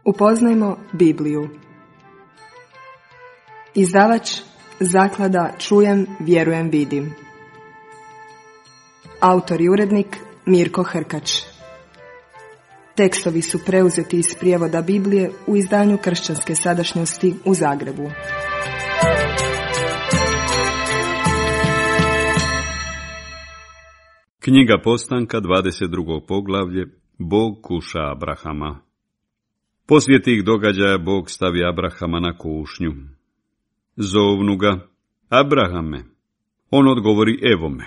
Upoznajmo Bibliju. Izdavač Zaklada Čujem, vjerujem, vidim. Autor i urednik Mirko Hrkač. Tekstovi su preuzeti iz prijevoda Biblije u izdanju Kršćanske sadašnjosti u Zagrebu. Knjiga Postanka, 22. poglavlje. Bog kuša Abrahama. Poslije tih događaja Bog stavi Abrahama na kušnju. Zovnu ga: Abrahame. On odgovori: evo me.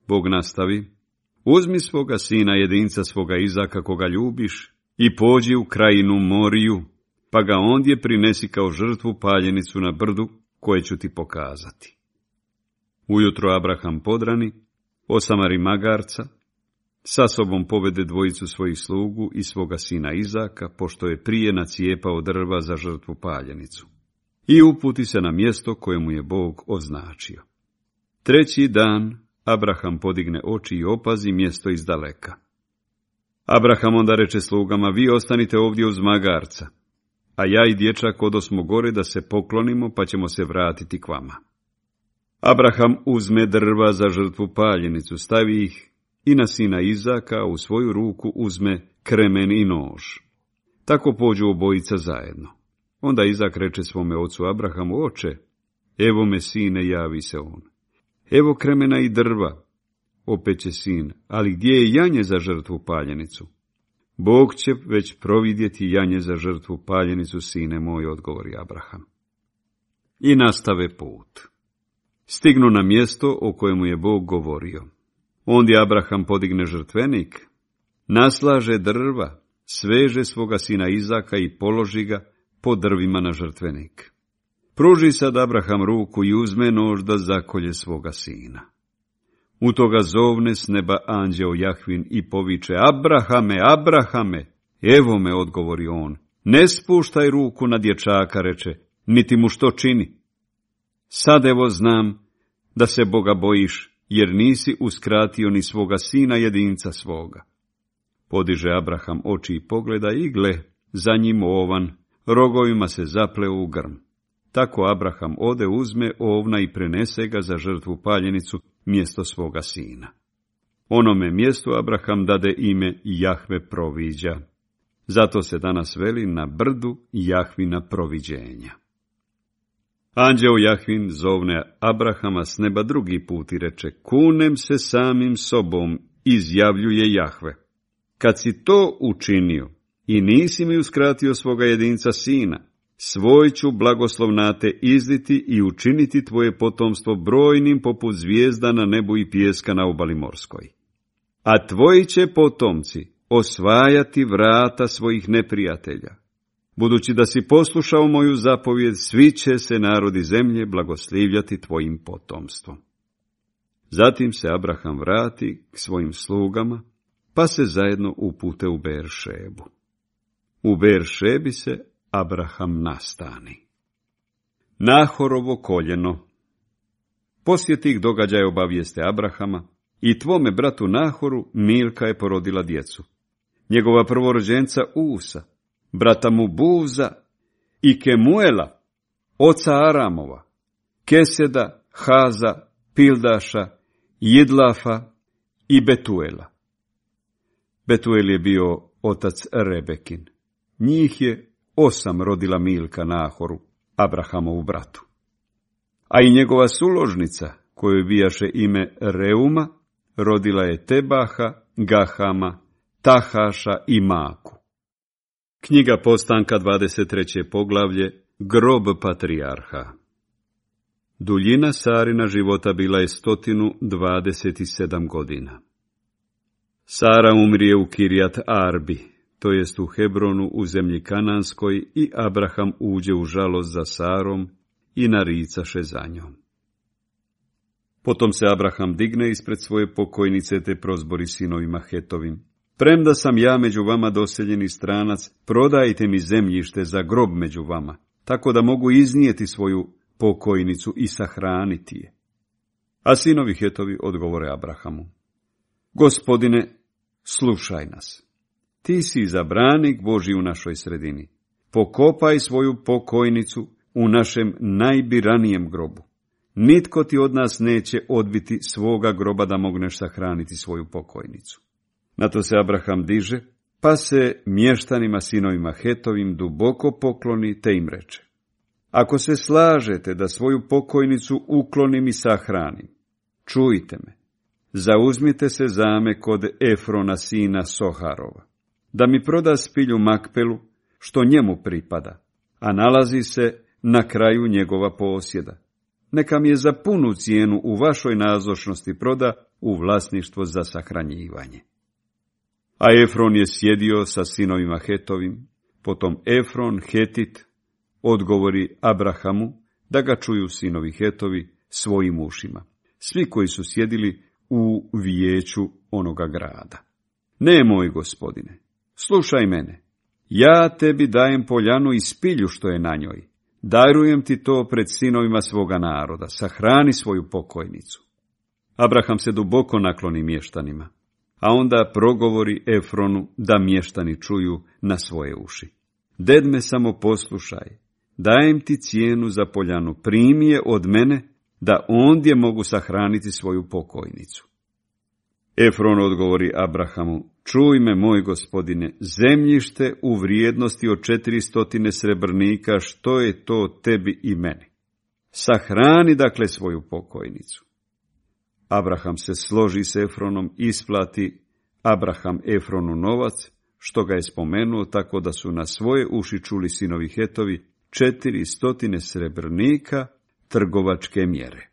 Bog nastavi: uzmi svoga sina jedinca svoga Izaka koga ljubiš i pođi u krajinu Moriju, pa ga ondje prinesi kao žrtvu paljenicu na brdu koje ću ti pokazati. Ujutro Abraham podrani, osamari magarca, sa sobom povede dvojicu svojih slugu i svoga sina Izaka, pošto je prije nacijepao drva za žrtvu paljenicu, i uputi se na mjesto koje mu je Bog označio. Treći dan Abraham podigne oči i opazi mjesto izdaleka. Abraham onda reče slugama: vi ostanite ovdje uz magarca, a ja i dječak odosmo gore da se poklonimo, pa ćemo se vratiti k vama. Abraham uzme drva za žrtvu paljenicu, stavi ih i na sina Izaka, u svoju ruku uzme kremen i nož. Tako pođu obojica zajedno. Onda Izak reče svome ocu Abrahamu: oče, evo me sine, javi se on. Evo kremena i drva. Opet će sin: ali gdje je janje za žrtvu paljenicu? Bog će već providjeti janje za žrtvu paljenicu, sine moj, odgovori Abraham. I nastave put. Stignu na mjesto o kojemu je Bog govorio. Ondje Abraham podigne žrtvenik, naslaže drva, sveže svoga sina Izaka i položi ga po drvima na žrtvenik. Pruži sad Abraham ruku i uzme nož da zakolje svoga sina. U toga zovne s neba anđeo Jahvin i poviče: Abrahame, Abrahame! Evo me, odgovori on. Ne spuštaj ruku na dječaka, reče, niti mu što čini. Sad evo znam da se Boga bojiš, jer nisi uskratio ni svoga sina jedinca svoga. Podiže Abraham oči i pogleda i gle, za njim ovan, rogovima se zapleo u grm. Tako Abraham ode, uzme ovna i prenese ga za žrtvu paljenicu mjesto svoga sina. Onome mjestu Abraham dade ime Jahve proviđa. Zato se danas veli na brdu Jahvina proviđenja. Anđeo Jahvin zovne Abrahama s neba drugi put i reče: kunem se samim sobom, izjavljuje Jahve. Kad si to učinio i nisi mi uskratio svoga jedinca sina, svoj ću blagoslov na te izliti i učiniti tvoje potomstvo brojnim poput zvijezda na nebu i pijeska na obali morskoj. A tvoji će potomci osvajati vrata svojih neprijatelja. Budući da si poslušao moju zapovjed, svi će se narodi zemlje blagoslivljati tvojim potomstvom. Zatim se Abraham vrati k svojim slugama, pa se zajedno upute u Beeršebu. U Beeršebi se Abraham nastani. Nahorovo koljeno. Poslije tih događaja obavijeste Abrahama: i tvome bratu Nahoru Milka je porodila djecu. Njegova prvorođenca Usa, brata mu Buza i Kemuela, oca Aramova, Keseda, Haza, Pildaša, Jidlafa i Betuela. Betuel je bio otac Rebekin. Njih je 8 rodila Milka Nahoru, Abrahamovu bratu. A i njegova suložnica, kojoj bijaše ime Reuma, rodila je Tebaha, Gahama, Tahaša i Maku. Knjiga Postanka, 23. poglavlje. Grob patrijarha. Duljina Sarina života bila je 127 godina. Sara umrije u Kirjat Arbi, to jest u Hebronu u zemlji Kananskoj, i Abraham uđe u žalost za Sarom i naricaše za njom. Potom se Abraham digne ispred svoje pokojnice te prozbori sinovima Hetovim: premda sam ja među vama doseljeni stranac, prodajte mi zemljište za grob među vama, tako da mogu iznijeti svoju pokojnicu i sahraniti je. A sinovi Hetovi odgovore Abrahamu: Gospodine, slušaj nas. Ti si izabranik Božji u našoj sredini. pokopaj svoju pokojnicu u našem najbiranijem grobu. Nitko ti od nas neće odbiti svoga groba da mogneš sahraniti svoju pokojnicu. Na to se Abraham diže, pa se mještanima sinovima Hetovim duboko pokloni, te im reče: Ako se slažete da svoju pokojnicu uklonim i sahranim, čujte me, zauzmite se zame kod Efrona sina Soharova, da mi proda spilju Makpelu, što njemu pripada, a nalazi se na kraju njegova posjeda. Neka mi je za punu cijenu u vašoj nazočnosti proda u vlasništvo za sahranjivanje. A Efron je sjedio sa sinovima Hetovim, potom Efron, Hetit, odgovori Abrahamu da ga čuju sinovi Hetovi svojim ušima, svi koji su sjedili u vijeću onoga grada. Ne, moj gospodine, slušaj mene, ja tebi dajem poljanu i spilju što je na njoj, darujem ti to pred sinovima svoga naroda, sahrani svoju pokojnicu. Abraham se duboko nakloni mještanima, a onda progovori Efronu da mještani čuju na svoje uši. Ded me samo poslušaj, dajem ti cijenu za poljanu, primi je od mene, da ondje mogu sahraniti svoju pokojnicu. Efron odgovori Abrahamu: Čuj me, moj gospodine, zemljište u vrijednosti od 400 srebrnika, što je to tebi i meni? Sahrani dakle svoju pokojnicu. Abraham se složi s Efronom, isplati Abraham Efronu novac, što ga je spomenuo, tako da su na svoje uši čuli sinovi Hetovi 400 srebrnika trgovačke mjere.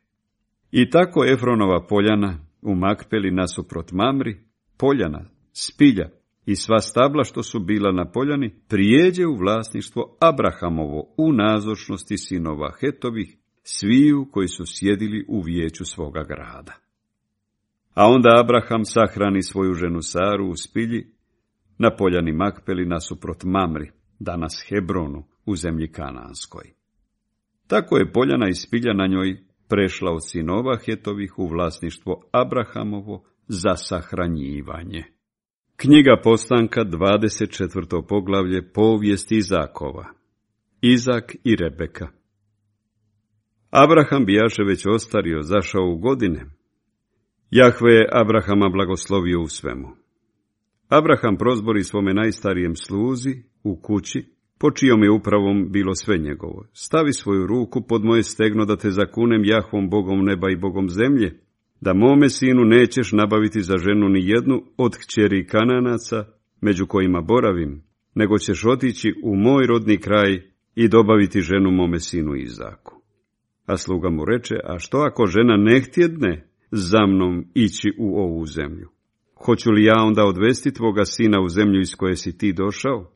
I tako Efronova poljana u Makpeli nasuprot Mamri, poljana, spilja i sva stabla što su bila na poljani, prijeđe u vlasništvo Abrahamovo u nazočnosti sinova Hetovih, sviju koji su sjedili u vijeću svoga grada. A onda Abraham sahrani svoju ženu Saru u spilji na poljani Makpeli nasuprot Mamri, danas Hebronu, u zemlji Kananskoj. Tako je poljana i spilja na njoj prešla od sinova Hetovih u vlasništvo Abrahamovo za sahranjivanje. Knjiga Postanka, 24. poglavlje, povijest Izakova. Izak i Rebeka. Abraham bijaše već ostario, zašao u godine. Jahve je Abrahama blagoslovio u svemu. Abraham prozbori svome najstarijem sluzi u kući, po čijom je upravom bilo sve njegovo: Stavi svoju ruku pod moje stegno da te zakunem Jahvom, Bogom neba i Bogom zemlje, da mome sinu nećeš nabaviti za ženu ni jednu od kćeri Kananaca, među kojima boravim, nego ćeš otići u moj rodni kraj i dobaviti ženu mome sinu Izaku. A sluga mu reče: A što ako žena ne htjedne za mnom ići u ovu zemlju? Hoću li ja onda odvesti tvoga sina u zemlju iz koje si ti došao?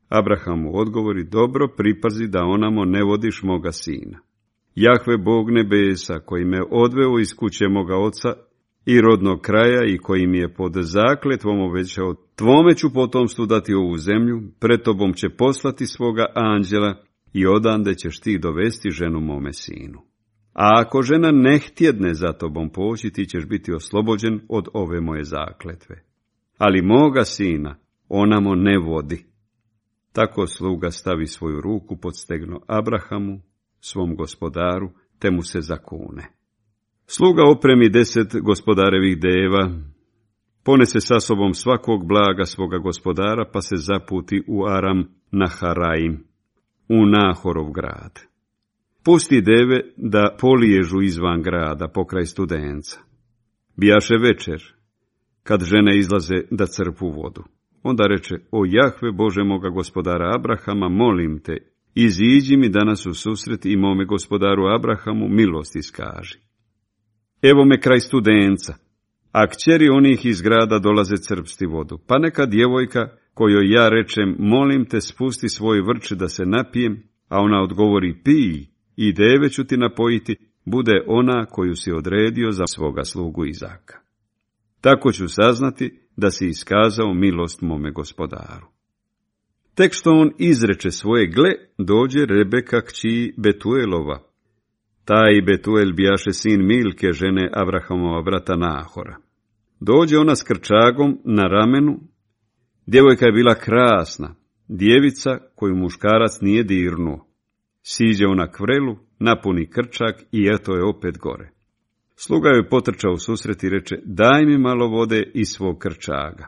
Abraham mu odgovori: Dobro, pripazi da onamo ne vodiš moga sina. Jahve, Bog nebesa, koji me odveo iz kuće moga oca i rodnog kraja i koji mi je pod zakletvom obećao: Tvome ću potomstvu dati ovu zemlju, pred tobom će poslati svoga anđela i odande ćeš ti dovesti ženu mome sinu. A ako žena ne htjedne za tobom poći, ti ćeš biti oslobođen od ove moje zakletve. Ali moga sina onamo ne vodi. Tako sluga stavi svoju ruku pod stegno Abrahamu, svom gospodaru, te mu se zakune. Sluga opremi 10 gospodarevih deva, ponese sa sobom svakog blaga svoga gospodara, pa se zaputi u Aram Naharaim, u Nahorov grad. Pusti deve da poliježu izvan grada, pokraj Studenca. Bijaše večer, kad žene izlaze da crpu vodu. Onda reče: O Jahve, Bože moga gospodara Abrahama, molim te, iziđi mi danas u susret i mome gospodaru Abrahamu milost iskaži. Evo me kraj Studenca, a kćeri onih iz grada dolaze crpsti vodu, pa neka djevojka kojoj ja rečem: molim te, spusti svoj vrč da se napijem, a ona odgovori: pij, i deve ću ti napojiti, bude ona koju si odredio za svoga slugu Izaka. Tako ću saznati da si iskazao milost mome gospodaru. Tek što on izreče svoje, gle, dođe Rebeka kći Betuelova. Taj Betuel bijaše sin Milke, žene Abrahamova brata Nahora. Dođe ona s krčagom na ramenu. Djevojka je bila krasna, djevica koju muškarac nije dirnuo. Siđe ona k vrelu, napuni krčak i eto je opet gore. Sluga joj potrčao u susret i reče, daj mi malo vode iz svog krčaga.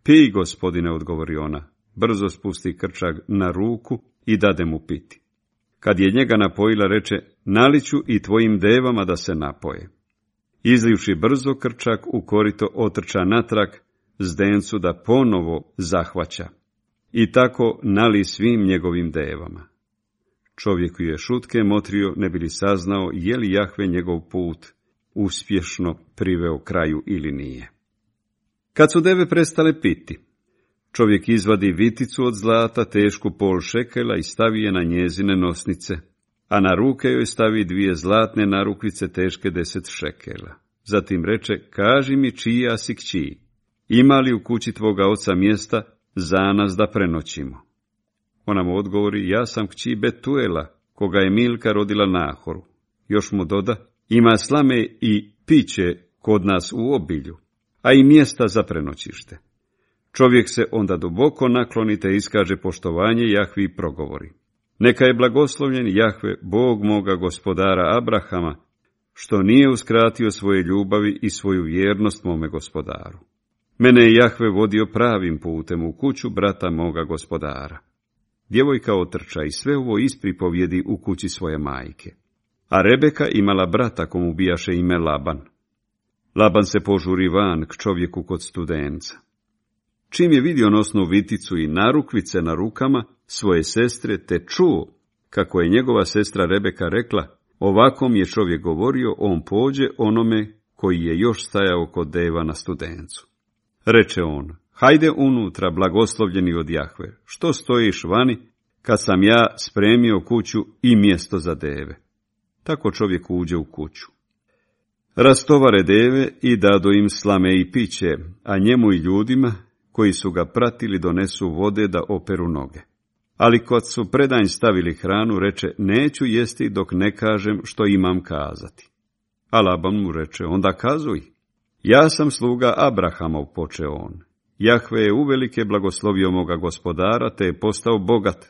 Pij, gospodine, odgovori ona. Brzo spusti krčag na ruku i dade mu piti. Kad je njega napojila, reče, naliću i tvojim devama da se napoje. Izlivši brzo krčak u korito, otrča natrag zdencu da ponovo zahvaća. I tako nali svim njegovim devama. Čovjek je šutke motrio, ne bi li saznao je li Jahve njegov put uspješno priveo kraju ili nije. Kad su deve prestale piti, čovjek izvadi viticu od zlata tešku pol šekela i stavi je na njezine nosnice, a na ruke joj stavi 2 zlatne narukvice teške 10 šekela. Zatim reče, kaži mi čija si kći, ima li u kući tvoga oca mjesta za nas da prenoćimo? Ona mu odgovori, ja sam kći Betuela, koga je Milka rodila Nahoru. Još mu doda, ima slame i piće kod nas u obilju, a i mjesta za prenoćište. Čovjek se onda duboko nakloni te iskaže poštovanje Jahvi i progovori. Neka je blagoslovljen Jahve, Bog moga gospodara Abrahama, što nije uskratio svoje ljubavi i svoju vjernost mome gospodaru. Mene je Jahve vodio pravim putem u kuću brata moga gospodara. Djevojka otrča i sve ovo ispripovjedi u kući svoje majke. A Rebeka imala brata komu bijaše ime Laban. Laban se požuri van k čovjeku kod studenca. Čim je vidio nosnu viticu i narukvice na rukama svoje sestre, te čuo kako je njegova sestra Rebeka rekla, ovakom je čovjek govorio, on pođe onome koji je još stajao kod deva na studencu. Reče on, hajde unutra, blagoslovljeni od Jahve, što stojiš vani, kad sam ja spremio kuću i mjesto za deve. Tako čovjek uđe u kuću. Rastovare deve i dadu im slame i piće, a njemu i ljudima koji su ga pratili donesu vode da operu noge. Ali kad su predanj stavili hranu, reče, neću jesti dok ne kažem što imam kazati. A Laban mu reče, onda kazuj. Ja sam sluga Abrahamov, poče on. Jahve je uvelike blagoslovio moga gospodara, te je postao bogat.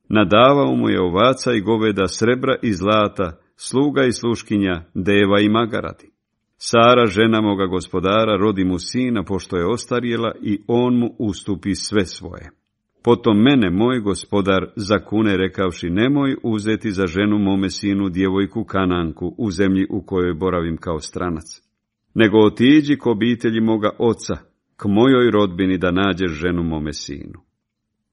Nadavao mu je ovaca i goveda, srebra i zlata, sluga i sluškinja, deva i magaradi. Sara, žena moga gospodara, rodi mu sina, pošto je ostarjela, i on mu ustupi sve svoje. Potom mene moj gospodar zakune, rekavši, nemoj uzeti za ženu mome sinu djevojku Kananku u zemlji u kojoj boravim kao stranac, nego otiđi k obitelji moga oca, k mojoj rodbini da nađeš ženu mome sinu.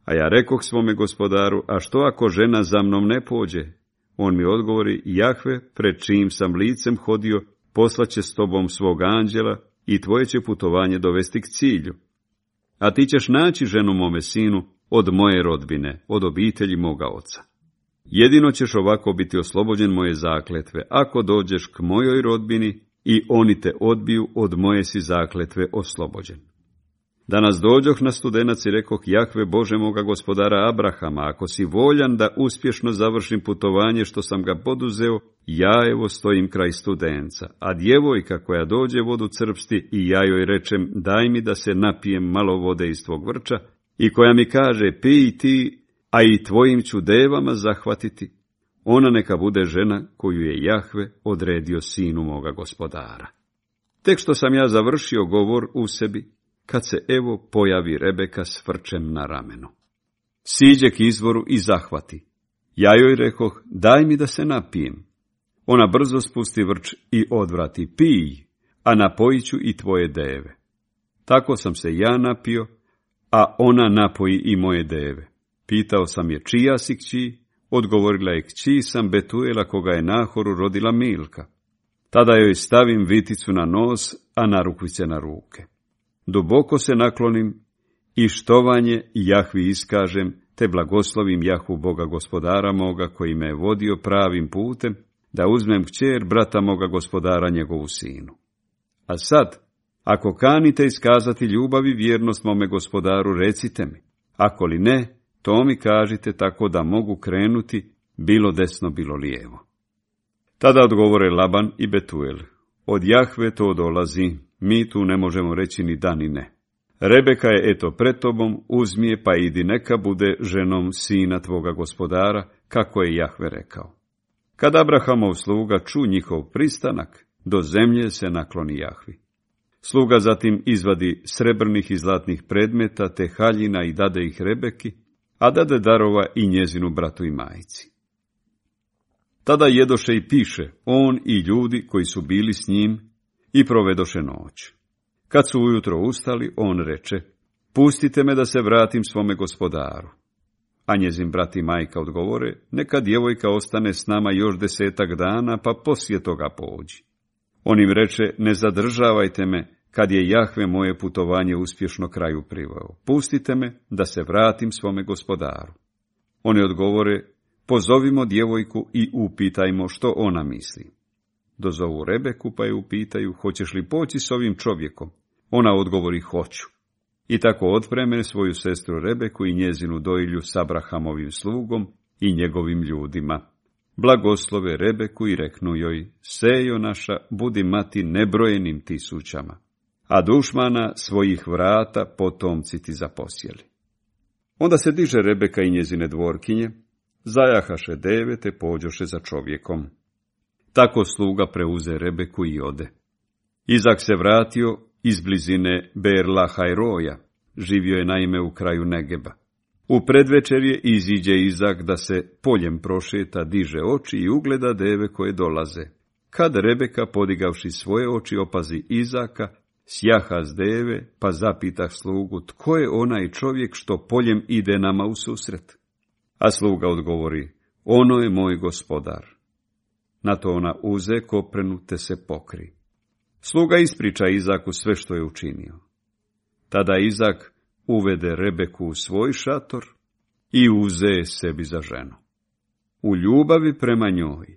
A ja rekoh svome gospodaru, a što ako žena za mnom ne pođe? On mi odgovori, Jahve, pred čijim sam licem hodio, poslaće s tobom svog anđela i tvoje će putovanje dovesti k cilju. A ti ćeš naći ženu mome sinu od moje rodbine, od obitelji moga oca. Jedino ćeš ovako biti oslobođen moje zakletve, ako dođeš k mojoj rodbini i oni te odbiju, od moje si zakletve oslobođen. Danas dođoh na studenac i rekoh, Jahve Bože moga gospodara Abrahama, ako si voljan da uspješno završim putovanje što sam ga poduzeo, ja evo stojim kraj studenca, a djevojka koja dođe vodu crpsti i ja joj rečem, daj mi da se napijem malo vode iz tvog vrča, i koja mi kaže, pij ti, a i tvojim ću devama zahvatiti, ona neka bude žena koju je Jahve odredio sinu moga gospodara. Tek što sam ja završio govor u sebi, kad se evo pojavi Rebeka s vrčem na ramenu. Siđe k izvoru i zahvati. Ja joj rekoh, daj mi da se napijem. Ona brzo spusti vrč i odvrati, pij, a napojit ću i tvoje deve. Tako sam se ja napio, a ona napoji i moje deve. Pitao sam je, čija si kći? Odgovorila je, kći sam Betuela, koga je Nahoru rodila Milka. Tada joj stavim viticu na nos, a narukvice na ruke. Duboko se naklonim i štovanje Jahvi iskažem, te blagoslovim Jahvu Boga gospodara moga, koji me je vodio pravim putem, da uzmem kćer brata moga gospodara njegovu sinu. A sad, ako kanite iskazati ljubav i vjernost mome gospodaru, recite mi, ako li ne, to mi kažite tako da mogu krenuti, bilo desno, bilo lijevo. Tada odgovore Laban i Betuel, od Jahve to dolazi, mi tu ne možemo reći ni da ni ne. Rebeka je eto pred tobom, uzmi je pa idi, neka bude ženom sina tvoga gospodara, kako je Jahve rekao. Kad Abrahamov sluga ču njihov pristanak, do zemlje se nakloni Jahvi. Sluga zatim izvadi srebrnih i zlatnih predmeta te haljina i dade ih Rebeki, a dade darova i njezinu bratu i majici. Tada jedoše i piše on i ljudi koji su bili s njim i provedoše noć. Kad su ujutro ustali, on reče, pustite me da se vratim svome gospodaru. A njezin brat i majka odgovore, neka djevojka ostane s nama još 10 dana, pa poslije toga pođi. On im reče, ne zadržavajte me, kad je Jahve moje putovanje uspješno kraju priveo. Pustite me da se vratim svome gospodaru. Oni odgovore, pozovimo djevojku i upitajmo što ona misli. Dozovu Rebeku pa je upitaju, hoćeš li poći s ovim čovjekom? Ona odgovori, hoću. I tako otpreme svoju sestru Rebeku i njezinu dojilju s Abrahamovim slugom i njegovim ljudima. Blagoslove Rebeku i reknu joj, sejo naša, budi mati nebrojenim tisućama, a dušmana svojih vrata potomci ti zaposjeli. Onda se diže Rebeka i njezine dvorkinje, zajahaše deve te pođoše za čovjekom. Tako sluga preuze Rebeku i ode. Izak se vratio iz blizine Beer-lahaj-roja, živio je naime u kraju Negeba. U predvečerje iziđe Izak da se poljem prošeta, diže oči i ugleda deve koje dolaze. Kad Rebeka, podigavši svoje oči, opazi Izaka, sjaha s deve, pa zapitah slugu, tko je onaj čovjek što poljem ide nama u susret? A sluga odgovori, ono je moj gospodar. Na to ona uze koprenu te se pokri. Sluga ispriča Izaku sve što je učinio. Tada Izak uvede Rebeku u svoj šator i uze sebi za ženu. U ljubavi prema njoj,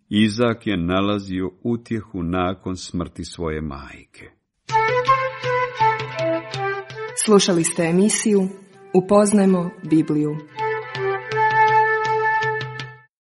Izak je nalazio utjehu nakon smrti svoje majke. Slušali ste emisiju Upoznajmo Bibliju.